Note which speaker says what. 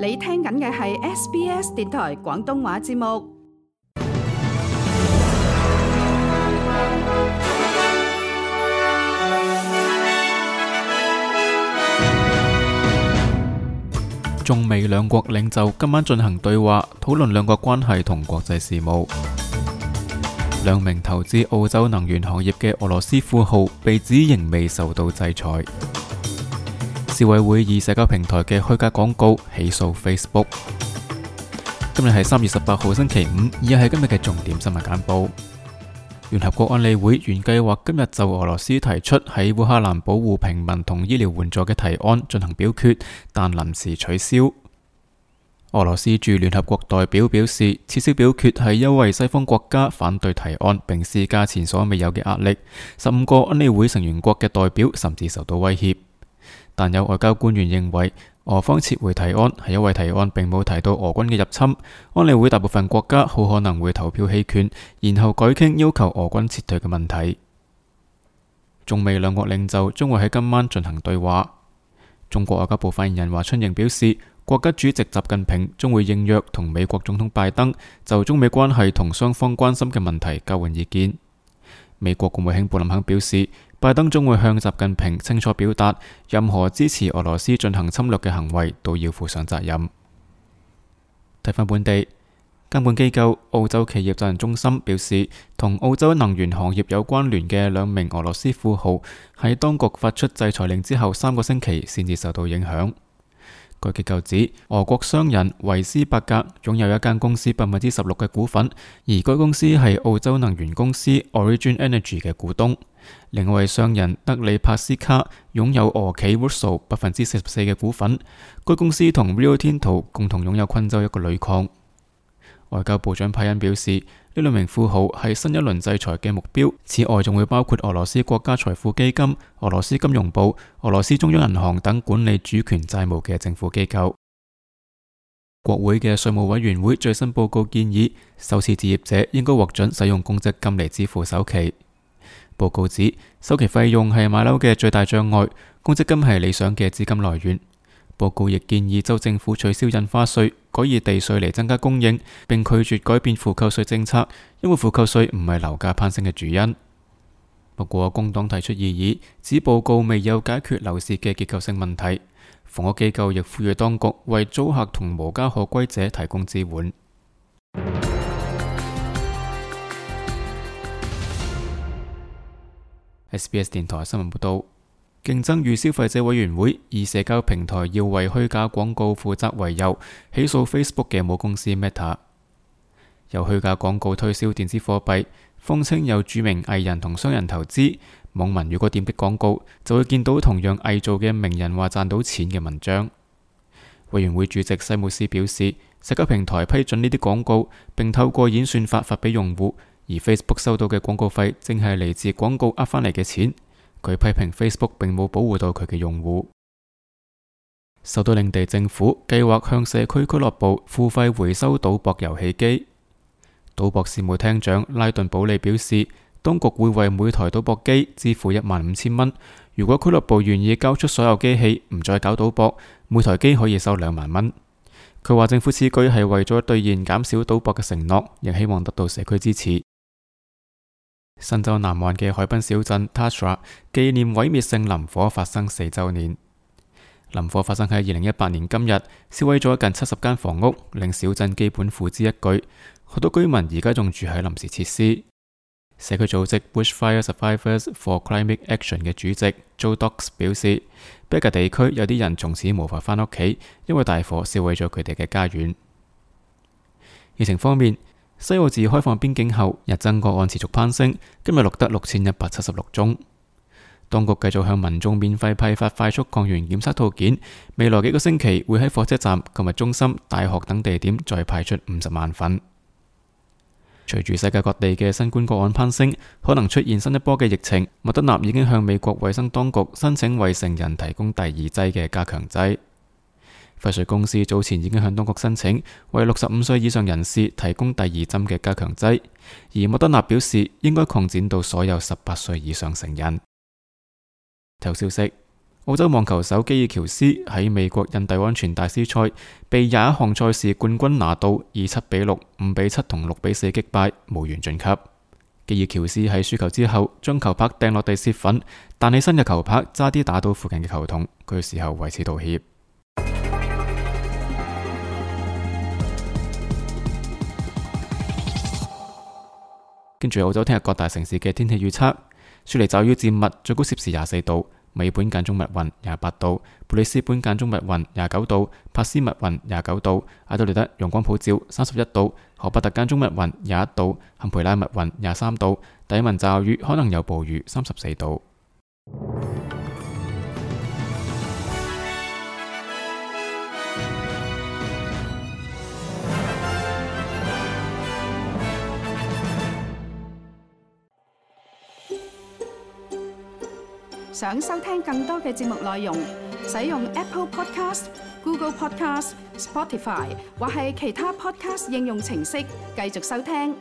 Speaker 1: 你聽緊嘅係 SBS 電台廣東話節目。
Speaker 2: 中美兩國領袖今晚進行對話，討論兩國關係同國際事務。兩名投資澳洲能源行業嘅俄羅斯富豪被指仍未受到制裁。消委會以社交平台嘅虛假廣告起訴 Facebook。今日係3月18號星期五，以下係今日嘅重點新聞簡報。聯合國安理會原計劃今日就俄羅斯提出喺烏克蘭保護平民同醫療援助嘅提案進行表決，但臨時取消。俄羅斯駐聯合國代表表示，撤銷表決係因為西方國家反對提案，並施加前所未有嘅壓力。15個安理會成員國嘅代表甚至受到威脅。但有外交官員認為，俄方撤回提案係因為提案並冇提到俄軍嘅入侵。安理會大部分國家好可能會投票棄權，然後改傾要求俄軍撤退嘅問題。中美兩國領袖將會喺今晚進行對話。中國外交部發言人華春瑩表示，國家主席習近平將會應約同美國總統拜登就中美關係同雙方關心嘅問題交換意見。美國國務卿布林肯表示，拜登將會向習近平清楚表達，任何支持俄羅斯進行侵略嘅行為都要負上責任。睇返本地監管機構澳洲企業責任中心表示，同澳洲能源行業有關聯嘅兩名俄羅斯富豪喺當局發出制裁令之後3個星期先至受到影響。該機構指，俄國商人維斯伯格擁有一間公司16%嘅股份，而該公司係澳洲能源公司 Origin Energy 嘅股東。另外商人德里帕斯卡擁有俄企 Woodside 44%嘅股份，該公司同 Rio Tinto 共同擁有昆州一個鋁礦。外交部長派恩表示，呢兩名富豪係新一輪制裁嘅目標，此外仲會包括俄羅斯國家財富基金、俄羅斯金融部、俄羅斯中央銀行等管理主權債務嘅政府機構。國會嘅稅務委員會最新報告建議，首次置業者應該獲准使用公積金嚟支付首期。報告指，首期費用係買樓嘅最大障礙，公積金係理想嘅資金來源。報告亦建議州政府取消印花稅，改以地稅嚟增加供應，並拒絕改變負扣稅政策，因為負扣稅唔係樓價攀升嘅主因。不過工黨提出異議，指報告未有解決樓市嘅結構性問題。房屋機構亦呼籲當局為租客同無家可歸者提供支援。SBS 電台新聞報道。競爭與消費者委員會以社交平台要為虛假廣告負責為由，起訴 Facebook 嘅母公司 Meta。由虛假廣告推銷電子貨幣，謊稱有著名藝人同商人投資，網民如果點擊廣告，就會見到同樣偽造嘅名人話賺到錢嘅文章。委員會主席西姆斯表示，社交平台批准呢啲廣告，並透過演算法發俾用戶，而 Facebook 收到嘅廣告費正係嚟自廣告呃返嚟嘅錢。佢批評 Facebook 並冇保護到佢嘅用戶。首都領地政府計劃向社區俱樂部付費回收賭博遊戲機。賭博事務廳長拉頓保利表示，當局會為每台賭博機支付15,000蚊。如果俱樂部願意交出所有機器，唔再搞賭博，每台機可以收2萬蚊。佢話政府此舉係為咗兌現減少賭博嘅承諾，亦希望得到社區支持。新州南岸嘅海濱小鎮 Tashra 紀念毀滅性林火發生4週年。林火發生喺2018年今日，燒毀咗近70間房屋，令小鎮基本付之一炬。好多居民而家仲住喺臨時設施。社區組織 Bushfire Survivors for Climate Action 嘅主席 Joe Docks 表示，北加地區有啲人從此無法返屋企，因為大火燒毀咗佢哋嘅家園。疫情方面，西澳自開放邊境後，日增個案持續攀升，今日錄得6176宗。當局繼續向民眾免費批發快速抗原檢測套件，未來幾個星期會喺火車站、購物中心、大學等地點再派出50萬份。隨住世界各地嘅新冠個案攀升，可能出現新一波嘅疫情，莫德納已經向美國衛生當局申請為成人提供第2劑嘅加強劑。輝瑞公司早前已經向當局申請為65歲以上人士提供第2針嘅加強劑，而莫德納表示應該擴展到所有18歲以上成人。體育消息：澳洲網球手基爾喬斯喺美國印第安全大師賽被21項賽事冠軍拿度以7-6、5-7同6-4擊敗，無緣晉級。基爾喬斯喺輸球之後將球拍掟落地泄憤，彈起身嘅球拍差啲打到附近嘅球童，佢事後為此道歉。跟住澳洲聽日各大城市嘅天氣預測：雪梨驟雨漸密，最高攝氏24度；美本間中密雲28度；布里斯本間中密雲29度；帕斯密雲29度；阿德萊德陽光普照31度；荷伯特間中密雲21度；坎培拉密雲23度；達爾文驟雨可能有暴雨34度。
Speaker 1: 想收聽更多嘅節目內容，使用 Apple Podcast、Google Podcast、Spotify 或係其他 Podcast 應用程式繼續收聽。